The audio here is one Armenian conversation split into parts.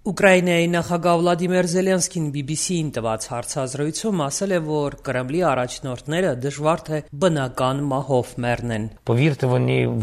Ուկրաինայի նախագահ Վլադիմիր Զելենսկին BBC-ին տված հարցազրույցում ասել է, որ Կրեմլի առաջնորդները դժվար թե բնական մահով մեռնեն։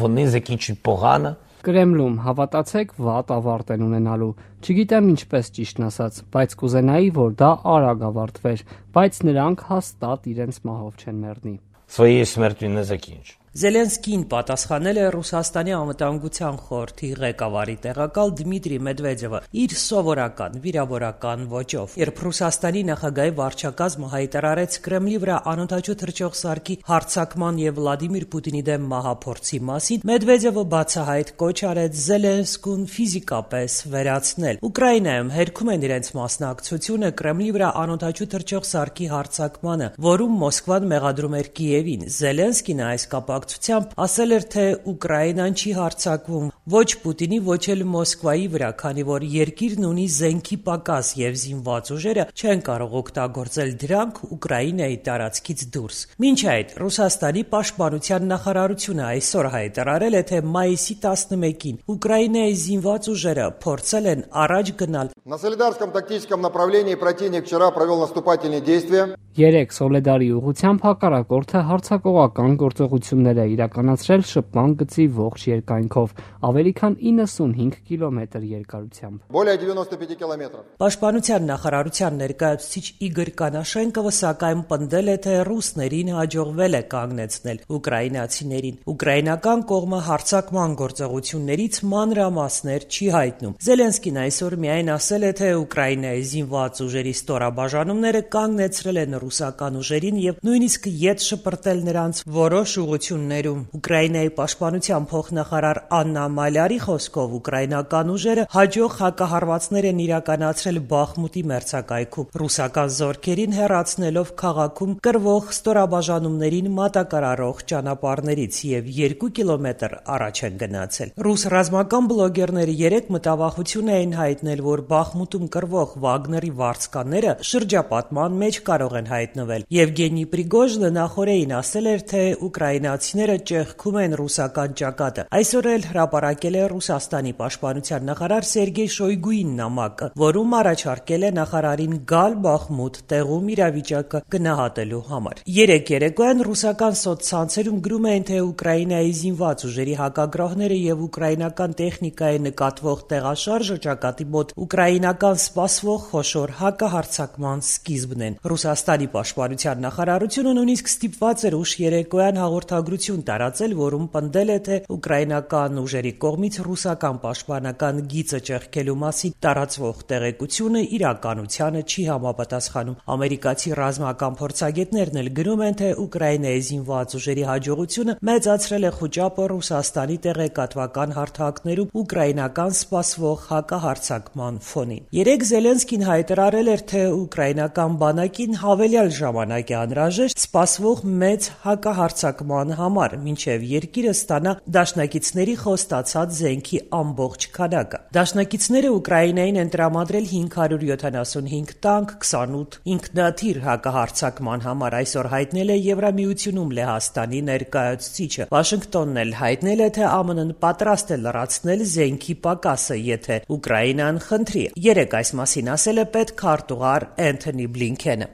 Вони закінчать погано. Կրեմլում հավատացեք, վատ ավարտ են ունենալու։ Չգիտեմ ինչպես ճիշտն ասած, բայց կուզենայի, որ դա արագ ավարտվեր, բայց նրանք հաստատ իրենց մահով չեն մեռնի։ Своєю смертю не закінчать. Զելենսկին պատասխանել է Ռուսաստանի անվտանգության խորհրդի ղեկավարի տեղակալ Դմիտրի Մեդվեդևը իր սովորական վիրավորական ոճով։ Երբ Ռուսաստանի նախագահի վարչակազմը հայտարարեց Կրեմլի վրա անօդաչու թռչող սարքի հարձակման եւ Վլադիմիր Պուտինի դեմ մահափորձի մասին, Մեդվեդևը բացահայտ կոչ արեց Զելենսկուն ֆիզիկապես վերացնել։ Ուկրաինայում հերքում են իրենց մասնակցությունը Կրեմլի վրա անօդաչու թռչող սարքի հարձակմանը, որում Մոսկվան մեղադրում էր Կիևին։ Զելենսկին այս կապակցությամբ ասել էր, թե Ուկրաինան չի հարձակվում ոչ Պուտինի, ոչ էլ Մոսկվայի վրա, քանի որ երկիրն ունի զենքի պակաս եւ զինված ուժերը չեն կարող օգտագործել դրանք Ուկրաինայի տարածքից դուրս։ Մինչ այդ Ռուսաստանի պաշտպանության նախարարությունը այսօր հայտարարել է, թե մայիսի 11-ին Ուկրաինայի զինված ուժերը փորձել են առաջ գնալ На Солидарском тактическом направлении противник вчера провел наступательные действия. Երեք Սոլեդարի ուղղությամբ հակառակորդը հարձակողական գործողություններ է իրականացրել շփման գծի ողջ երկայնքով, ավելի քան 95 կիլոմետր երկարությամբ։ Более 95 километров. Պաշտպանության նախարարության ներկայացուցիչ Իգոր Կանաշենկովը սակայն պնդել է, թե ռուսներին հաջողվել է կանգնեցնել ուկրաինացիներին։ Ուկրաինական կողմը հարձակման գործողություններից մանրամասներ չի հայտնում։ Զելենսկին այսօր միայն ասել է, թե Ուկրաինայի զինված ուժերի ստորաբաժանումները կանգնեցրել են ռուսական ուժերին եւ նույնիսկ ետ շպրտել նրանց որոշ ուղություններում։ Ուկրաինայի պաշտպանության փոխնախարար Աննա Մալյարի խոսքով ուկրաինական ուժերը հաջող հակահարվածներ են իրականացրել Բախմուտի մերձակայքում, ռուսական զորքերին հեռացնելով քաղաքում կրվող ստորաբաժանումներին մատակարարող ճանապարհներից եւ 2 կիլոմետր առաջ են գնացել։ Ռուս ռազմական բլոգերները երեք մտավախություն էին հայտնել, որ Բախմուտում կրվող Վագների վարձկանները շրջապատման մեջ կարող են հայտնվել։ Եվգենի Պրիգոժինը նախորդին ասել էր, թե ուկրաինացիները ճեղքում են ռուսական ճակատը։ Այսօր էլ հրապարակել է Ռուսաստանի պաշտպանության նախարար Սերգեյ Շոյգուին նամակը, որում առաջարկել է նախարարին գալ Բախմուտ տեղում իրավիճակը գնահատելու համար։ Երեք երեկոյան ռուսական սոցցանցերում գրում էին, թե Ուկրաինայի զինված ուժերի հակագրոհները եւ ուկրաինական տեխնիկայի նկատվող տեղաշարժը ճակատի մոտ ուկրաինական սպասվող խոշոր հակահարձակման սկիզբն են։ Ռուսաստանի պաշտպանության նախարարությունը նույնիսկ ստիպված էր ուշ երեկոյան հաղորդագրություն տարածել, որում պնդել է, թե ուկրաինական ուժերի կողմից ռուսական պաշտպանական գիծը ճեղքելու մասին տարածվող տեղեկությունը իրականությանը չի համապատասխանում։ Ամերիկացի ռազմական փորձագետներն էլ գրում են, թե Ուկրաինայի զինված ուժերի հաջողությունը մեծացրել է խոճապը Ռուսաստանի տեղեկատվական հարթակներում ուկրաինական սպասվող հակահարձակման ֆոնին։ Երեք Զելենսկին հայտարարել էր, թե ուկրաինական բանակին հավելյալ ժամանակ է անհրաժեշտ սպասվող մեծ հակահարձակման համար, մինչև երկիրը ստանա դաշնակիցների խոստացած զենքի ամբողջ քանակը։ Դաշնակիցները Ուկրաինային են տրամադրել 575 տանկ, 28 ինքնաթիռ հակահարձակման համար, այսօր հայտնել է Եվրամիությունում Լեհաստանի ներկայացուցիչը։ Վաշինգտոնն էլ հայտնել է, թե ԱՄՆ-ն պատրաստ է լրացնել զենքի պակասը, եթե Ուկրաինան խնդրի։ Երեք այս մասին ասել է պետքարտուղար Էնթոնի Բլինքենը։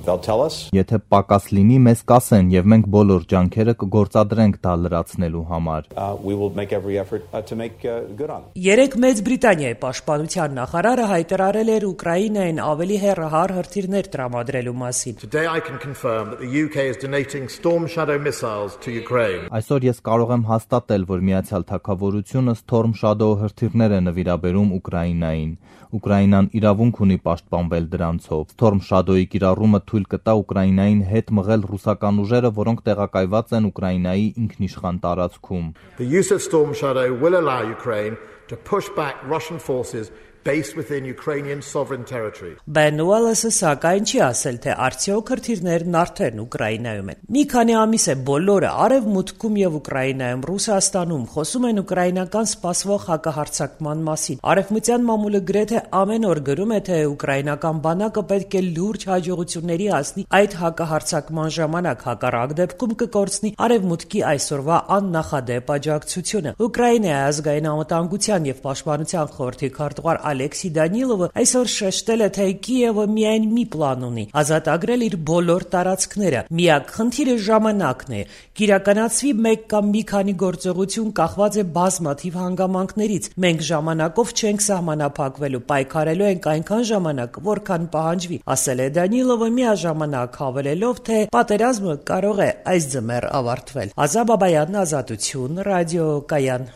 Եթե պակաս լինի, մեզ կասեն, եւ մենք բոլոր ջանքերը կգործադրենք դա լրացնելու համար։ Երեք Մեծ Բրիտանիայի պաշտպանության նախարարը հայտարարել էր Ուկրաինային ավելի հեռահար հրթիռներ տրամադրելու մասին։ Այսօր ես կարող եմ հաստատել, որ Միացյալ Թագավորությունը Storm Shadow հրթիռներ է նվիրաբերում Ուկրաինային։ Ուկրաինան իրավունք ունի պաշտպանվել դրանցով։ Storm Shadow-ի կիրառումը թույլ կտա Ուկրաինային հետ մղել ռուսական ուժերը, որոնք տեղակայված են Ուկրաինայի ինքնիշխան տարածքում։ The use of Storm Shadow will allow Ukraine to push back Russian forces based within Ukrainian sovereign territory. Բենուելսը սակայն չի ասել, թե արդյոք հրթիռներն արդեն Ուկրաինայում են։ Մի քանի ամիս է բոլորը Արևմուտքում եւ Ուկրաինայում, Ռուսաստանում խոսում են ուկրաինական սպասվող հակահարձակման մասին։ Արևմտյան մամուլը գրեթե ամեն օր գրում է, թե ուկրաինական բանակը պետք է լուրջ հաջողությունների հասնի այդ հակահարձակման ժամանակ, հակառակ դեպքում կկորցնի Արևմուտքի այսօրվա աննախադեպ աջակցությունը։ Ուկրաինայի ազգային անվտանգության եւ պաշտպանության խորհրդի քարտուղար Ալեքսի Դանիլովը այսօր շեշտել է, թե Կիևը միայն մի պլան ունի՝ ազատագրել իր բոլոր տարածքները։ Միակ խնդիրը ժամանակն է։ Կիրականացվի մեկ կամ մի քանի գործողություն կախված է բազմաթիվ հանգամանքներից։ Մենք ժամանակով չենք սահմանափակվելու, պայքարելու ենք այնքան ժամանակ, որքան պահանջվի, ասել է Դանիլովը, միաժամանակ հավելելով, թե պատերազմը կարող է այս ձմեռ ավարտվել։ Ազա Բաբայան, Ազատություն, ռադիո Կայան։